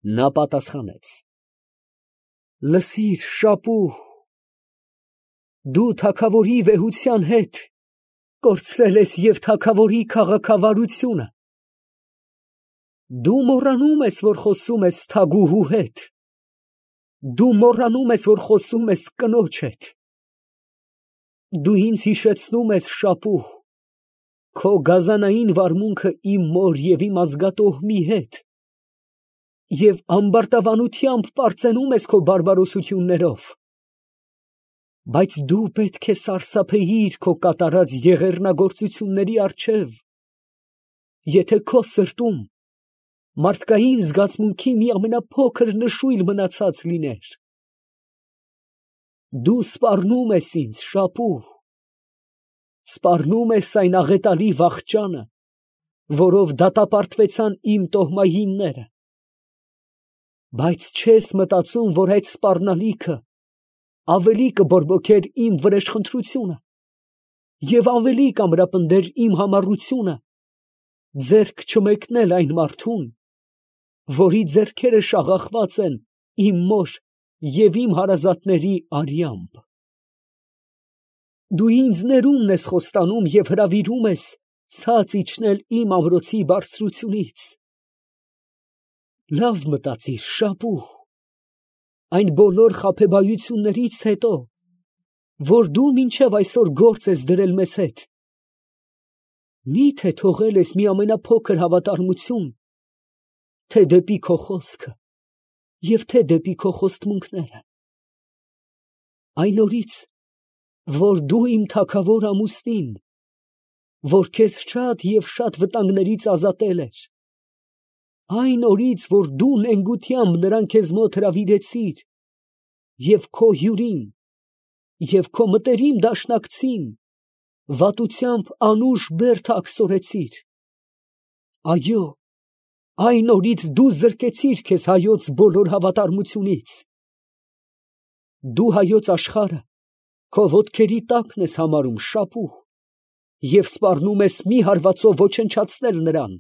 Նա պատասխանեց. «Լսիր, Շապուհ, դու թագավորի վեհության հետ կորցրել ես և թագավորի քաղաքավարությունը։ Դու մոռանում ես, որ խոսում ես թագուհու հետ, դու մոռանում ես, որ խոսում ես կնոջ հետ։ Դու ինձ հիշեցնում ես, Շապուհ, քո գազանային վարմունքը իմ մոր և իմ ազգատոհմի հետ և ամբարտավանությամբ պարծենում ես քո բարբարոսություններով։ Բայց դու պետք է սարսափեիր քո կատարած եղեռնագործությունների առջև, եթե քո սրտում մարդկային զգացմունքի մի ամենափոքր նշույլ մնացած լիներ։ Դու սպառնում ես ինձ, Շապուհ, սպառնում ես այն աղետալի վախճանը, որով դատապարտվեցան իմ տոհմայինները, բայց չես մտածում, որ այդ սպառնալիքը ավելի կբորբոքեր իմ վրեժխնդրությունը և ավելի կամրապնդեր իմ համառությունը ձեռք չմեկնել այն մարդուն, որի ձեռքերը շաղախված են իմ մոր և իմ հարազատների արյամբ։ Դու ինձ ներումն ես խոստանում և հրավիրում ես ցած իջնել իմ ամրոցի բարձրությունից։ Լավ մտածիր, Շապուհ, այն բոլոր խաբեբայություններից հետո, որ դու մինչև այսօր գործ ես դրել մեզ հետ, մի՞թե թողել ես մի ամենափոքր հավատարմություն, թե դեպի քո խոսքը և թե դեպի քո խոստմունքները։ Այն օրից, որ դու իմ թագավոր ամուսնին, որ քեզ շատ և շատ վտանգներից ազատել էր, այն օրից, որ դու նենգությամբ նրան քեզ մոտ հրավիրեցիր և քո հյուրին և քո մտերիմ դաշնակցին վատությամբ անուշ բերդ աքսորեցիր, այո, այն օրից դու զրկեցիր քեզ հայոց բոլոր հավատարմությունից։ Դու հայոց աշխարհը քո ոտքերի տակն ես համարում, Շապուհ, և սպառնում ես մի հարվածով ոչնչացնել նրան։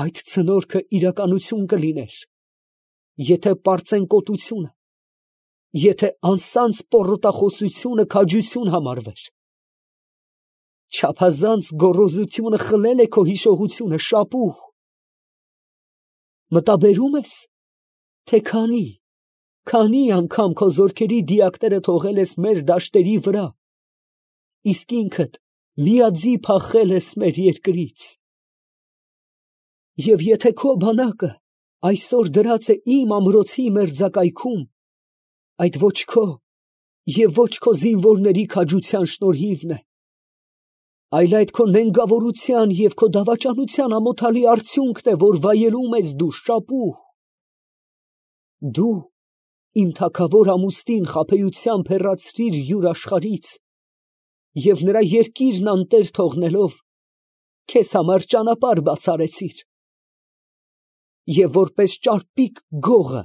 Այդ ցնորքը իրականություն կլիներ, եթե պարծենկոտությունը, եթե անսանձ պոռոտախոսությունը քաջություն համարվեր։ Չափազանց գոռոզությունը խլել է քո հիշողությունը, Շապուհ։ Մտաբերում ես, թե քանի անգամ քո զորքերի դիակները թողել ես մեր դաշտերի վրա, իսկ ինքդ միաձի փախել ես մեր երկրից։ Եվ եթե քո բանակը այսօր դրած է իմ ամրոցի մերձակայքում, այդ ոչ քո և ոչ քո զինվորների քաջության շնորհիվն է, այլ այդ քո նենգավորության և քո դավաճանության ամոթալի արդյունքն է, որ վայելում ես դու, Շապուհ։ Դու իմ թագավոր ամուսնին խաբեությամբ հեռացրիր յուր աշխարհից և նրա երկիրն անտեր թողնելով, քեզ համար ճանապարհ բացառեցիր։ Եվ որպես ճարպիկ գողը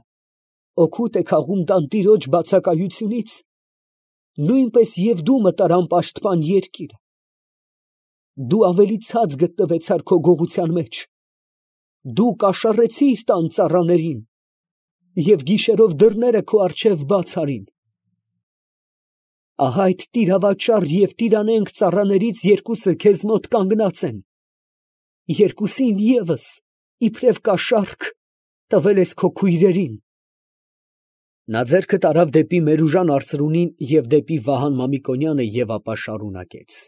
օգուտ է քաղում տանտիրոջ բացակայությունից, նույնպես և դու մտար անպաշտպան երկիրը։ Դու ավելի ցած գտնվեցար քո գողության մեջ, դու կաշառեցիր տան ծառաներին և գիշերով դռները քո առջև բաց արին։ Ահա այդ տիրավաճառ և տիրանենգ ծառաներից երկուսը քեզ մոտ կանգնած են, երկուսին ևս, իբրև կաշառք, տվել ես քո քույրերին։ Նա ձեռքը տարավ դեպի Մերուժան արծրունին և դեպի Վահան Մամիկոնյանը և ապա շարունակեց.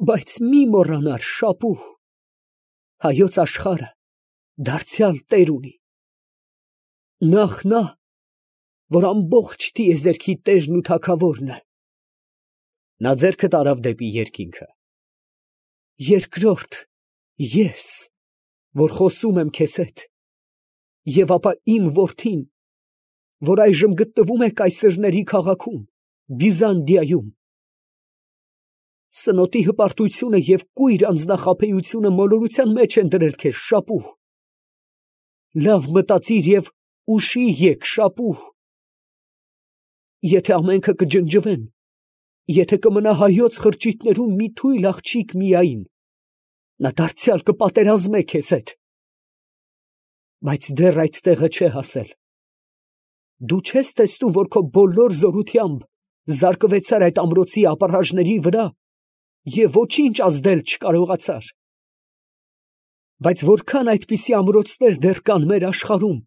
Բայց մի մոռանար, Շապուհ, հայոց աշխարհը դարձյալ տեր ունի։ Նախ նա, որ ամբողջ տիեզերքի տերն ու թագավորն է։ Նա ձեռքը տարավ դեպի երկինքը։ Երկրորդ, ես, որ խոսում եմ քեզ հետ, և ապա իմ որդին, որ այժմ գտնվում է կայսերների քաղաքում, Բյուզանդիայում։ Սնոտի հպարտությունը և կույր անձնախաբեությունը մոլորության մեջ են դրել քեզ, Շապուհ։ Լավ մտածիր և ուշի եկ, Շապուհ։ Եթե ամենքը կջնջվեն, եթե կմնա հայոց խրճիթներում մի թույլ աղջիկ միայն, նա դարձյալ կպատերազմե քեզ հետ։ բայց դեռ այդ տեղը չէ հասել։ Դու չես տեսնում, որ քո բոլոր զորությամբ զարկվեցար այդ ամրոցի ապառաժների վրա և ոչինչ ազդել չկարողացար։ Բայց որքան այդպիսի ամրոցներ դեռ կան մեր աշխարհում,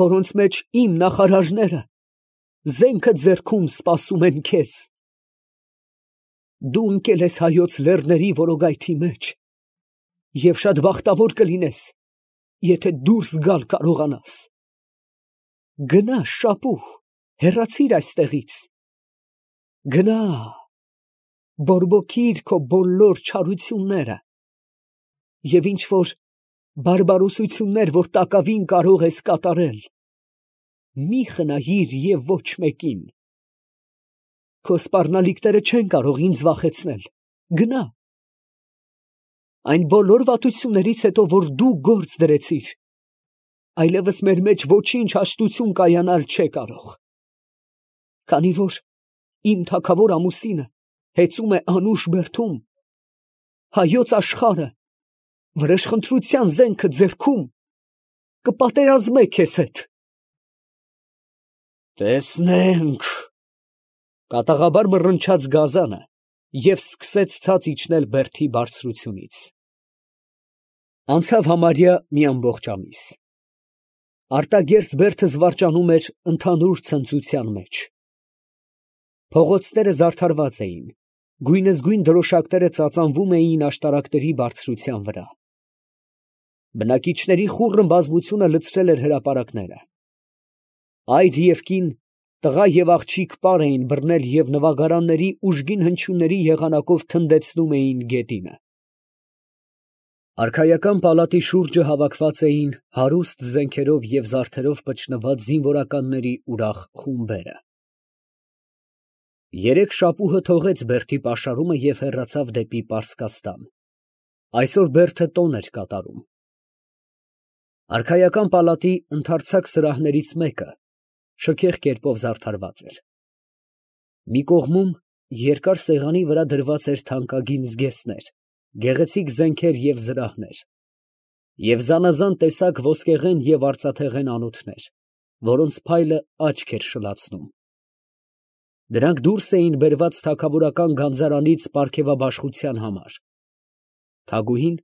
որոնց մեջ իմ նախարարները զենքը ձեռքում սպասում են քեզ։ Դու ընկել ես Հայոց լեռների որոգայթի մեջ և շատ բախտավոր կլինես, եթե դուրս գալ կարողանաս։ Գնա, Շապուհ, հեռացիր այստեղից։ Գնա, բորբոքիր քո բոլոր չարությունները և ինչ որ բարբարոսություններ, որ տակավին կարող ես կատարել, մի խնայիր և ոչ մեկին։ Քո սպառնալիքները չեն կարող ինձ վախեցնել։ Գնա։ Այն բոլոր վատություններից հետո, որ դու գործ դրեցիր, այլևս մեր մեջ ոչինչ հաշտություն կայանալ չէ կարող։ Քանի որ իմ թագավոր ամուսինը հեծում է անուշ բերդում, հայոց աշխարհը վրեժխնդրության զենքը ձեռքում կպատերազմե քեզ հետ։ Տեսնենք, կատաղաբար մռնչաց գազանը և սկսեց ցած իջնել բերդի բարձրությունից։ Անցավ համարյա մի ամբողջ ամիս։ Արտագերծ բերդը զվարճանում էր ընդհանուր ցնծության մեջ։ Փողոցները զարդարված էին, գույնզգույն դրոշակները ծածանվում էին աշտարակների բարձրության վրա։ Բնակիչների խուռն բազմությունը լցրել էր հրապարակները։ Այր և կին, տղա և աղջիկ պար էին բռնել և նվագարանների ուժգին հնչյունների եղանակով թնդեցնում էին գետինը։ Արքայական պալատի շուրջը հավաքված էին հարուստ զենքերով և զարդերով պչնված զինվորականների ուրախ խումբերը։ Երեկ Շապուհը թողեց բերդի պաշարումը և հեռացավ դեպի Պարսկաստան։ Այսօր բերդը տոն էր կատարում։ Արքայական պալատի ընդարձակ սրահներից մեկը շքեղ կերպով զարդարված էր։ Մի կողմում երկար սեղանի վրա դրված էր թանկագին զգեստներ, գեղեցիկ զենքեր և զրահներ, և զանազան տեսակ ոսկեղեն և արծաթեղեն անոթներ, որոնց փայլը աչք էր շլացնում։ Դրանք դուրս էին բերված թագավորական գանձարանից պարգևաբաշխության համար։ Թագուհին,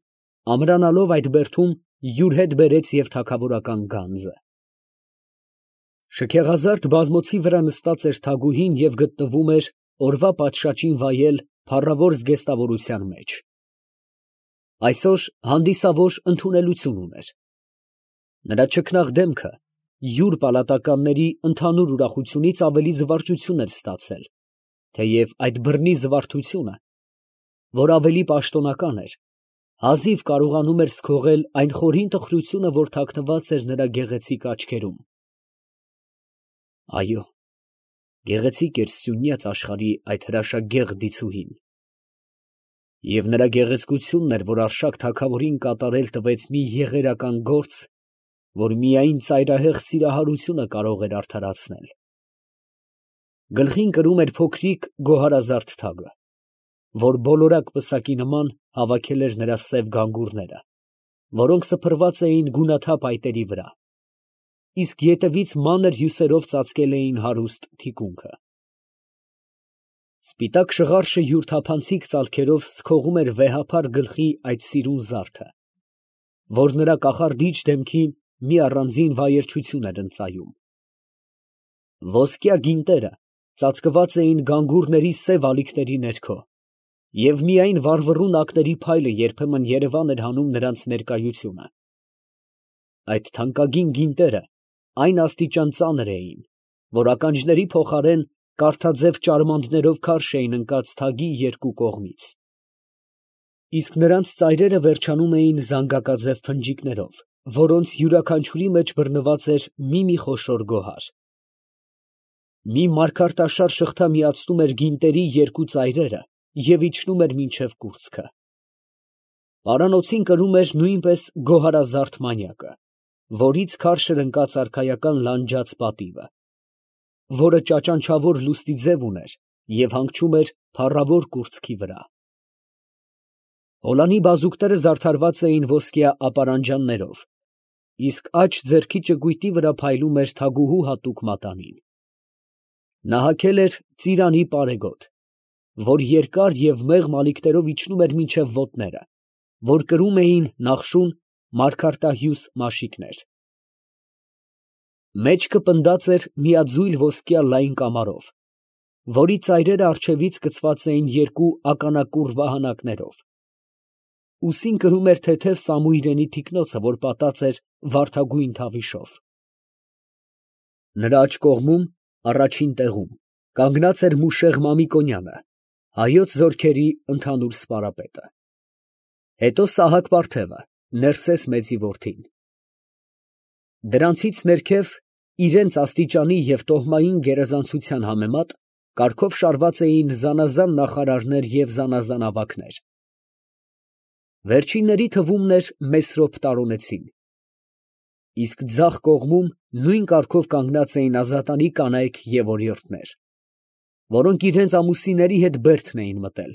ամրանալով այդ բերդում, յուր հետ բերեց և թագավորական գանձը։ Շքեղազարդ բազմոցի վրա նստած էր թագուհին և գտնվում էր օրվա պատշաճին վայել փառավոր զգեստավորության մեջ։ Այսօր հանդիսավոր ընդունելություն ուներ։ Նրա չքնաղ դեմքը յուր պալատականների ընդհանուր ուրախությունից ավելի զվարճություն էր ստացել, թեև այդ բռնի զվարթությունը, որ ավելի պաշտոնական էր, հազիվ կարողանում էր սքողել այն խորին տխրությունը, որ թաքնված էր նրա գեղեցիկ աչքերում։ Այո, գեղեցիկ էր սյունյաց աշխարհի այդ հրաշագեղ դիցուհին։ Եվ նրա գեղեցկությունն էր, որ Արշակ թագավորին կատարել տվեց մի եղերական գործ, որ միայն ծայրահեղ սիրահարությունը կարող էր արդարացնել։ Գլխին կրում էր փոքրիկ գոհարազարդ թագը, որ բոլորակ պսակի նման հավաքել էր նրա սև գանգուրները, որոնք սփռված էին գունաթափ այտերի վրա, իսկ ետևից մանր հյուսերով ծածկել էին հարուստ թիկունքը։ Սպիտակ շղարշը յուր թափանցիկ ծալքերով սքողում էր վեհափար գլխի այդ սիրուն զարդը, որ նրա կախարդիչ դեմքին մի առանձին վայելչություն էր ընծայում։ Ոսկյա գինտերը ծածկված էին գանգուրների սև ալիքների ներքո, և միայն վառվռուն ակների փայլը երբեմն երևան էր հանում նրանց ներկայությունը։ Այդ թանկագին գինտերը այն աստիճան ծանր էին, որ ականջների փոխարեն կարթաձև ճարմանդներով քարշ էին ընկած թագի երկու կողմից, իսկ նրանց ծայրերը վերջանում էին զանգակաձև փնջիկներով, որոնց յուրաքանչյուրի մեջ բռնված էր մի խոշոր գոհար։ Մի մարգարտաշար շղթա միացնում էր գինտերի երկու ծայրերը և իջնում էր մինչև կուրծքը։ Պարանոցին կրում էր նույնպես գոհարազարդ մանյակը, որից քարշ էր ընկած արքայական լանջած պատիվը, որը ճաճանչավոր լուստի ձև ուներ և հանգչում էր փառավոր կուրծքի վրա։ Հոլանի բազուկները զարդարված էին ոսկյա ապարանջաններով իսկ աջ ձեռքի ճկույտի վրա փայլում էր թագուհու հատուկ մատանին։ Նա հագել էր ծիրանի պարեգոտ, որ երկար և մեղմ ալիքներով իջնում էր մինչև ոտները, որ կրում էին նախշուն մարգարտահյուս մաշիկներ։ Մեջքը պնդած էր միաձույլ ոսկյա լայն կամարով, որի ծայրերը առջևից կցված էին երկու ականակուռ վահանակներով։ Ուսին կրում էր թեթև սամույրենի թիկնոցը, որ պատած էր վարդագույն թավիշով։ Նրա աջ կողմում, առաջին տեղում, կանգնած էր Մուշեղ Մամիկոնյանը, հայոց զորքերի ընդհանուր սպարապետը, հետո Սահակ պարթևը, Ներսես մեծի որդին։ Դրանցից ներքև, իրենց աստիճանի և տոհմային գերազանցության համեմատ, կարգով շարված էին զանազան նախարարներ և զանազան ավագներ։ Վերջինների թվում էր Մեսրոպ Տարոնեցին, իսկ ձախ կողմում նույն կարգով կանգնած էին ազատանի կանայք և օրիորդներ, որոնք իրենց ամուսինների հետ բերդն էին մտել։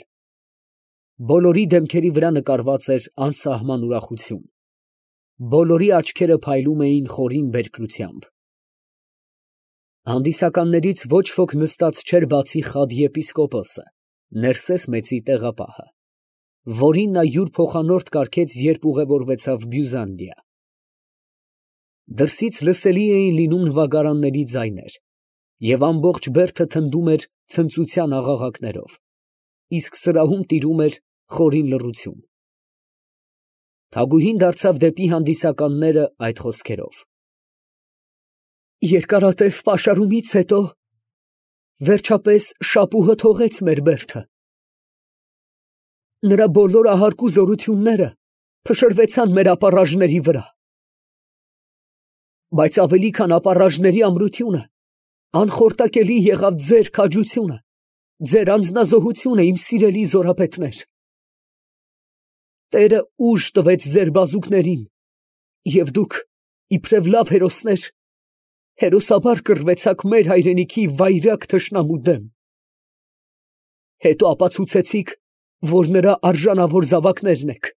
Բոլորի դեմքերի վրա նկարված էր անսահման ուրախություն, բոլորի աչքերը փայլում էին խորին բերկրությամբ։ Հանդիսականներից ոչ ոք նստած չէր բացի Խադ եպիսկոպոսը, Ներսես մեծի տեղապահը, որին նա յուր փոխանորդ կարգեց, երբ ուղևորվեցավ Բյուզանդիա։ Դրսից լսելի էին լինում նվագարանների ձայներ, և ամբողջ բերդը թնդում էր ցնծության աղաղակներով, իսկ սրահում տիրում էր խորին լռություն։ Թագուհին դարձավ դեպի հանդիսականները այդ խոսքերով. «Երկարատև պաշարումից հետո վերջապես շապուհը թողեց մեր բերդը. նրա բոլոր ահարկու զորությունները փշրվեցան մեր ապառաժների վրա, բայց ավելի քան ապառաժների ամրությունը, անխորտակելի եղավ ձեր քաջությունը, ձեր անձնազոհությունը, իմ սիրելի զորապետներ։ Տերը ուժ տվեց ձեր բազուկներին, և դուք, իբրև լավ հերոսներ, հերոսաբար կռվեցաք մեր հայրենիքի վայրագ թշնամու դեմ։ Հետո ապացուցեցիք, որ նրա արժանավոր զավակներն եք։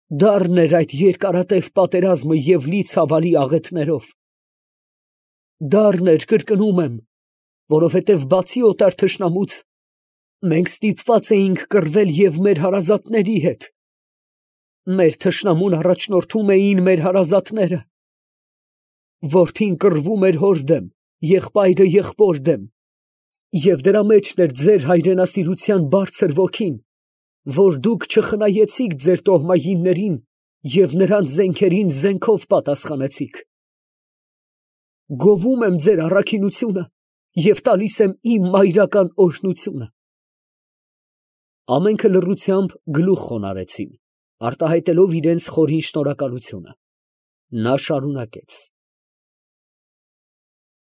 Դառն էր այդ երկարատև պատերազմը և լի ցավալի աղետներով։ Դառն էր, կրկնում եմ, որովհետև բացի օտար թշնամուց, մենք ստիպված էինք կռվել և մեր հարազատների հետ։ Մեր թշնամուն առաջնորդում էին մեր հարազատները։ Որդին կռվում էր հոր դեմ, եղբայրը եղբոր դեմ, և դրա մեջն էր ձեր հայրենասիրության բարձր ոգին, որ դուք չխնայեցիք ձեր տոհմայիններին և նրանց զենքերին զենքով պատասխանեցիք։ Գովում եմ ձեր առաքինությունը և տալիս եմ իմ մայրական օրհնությունը»։ Ամենքը լռությամբ գլուխ խոնարհեցին, արտահայտելով իրենց խորին շնորհակալությունը։ Նա շարունակեց.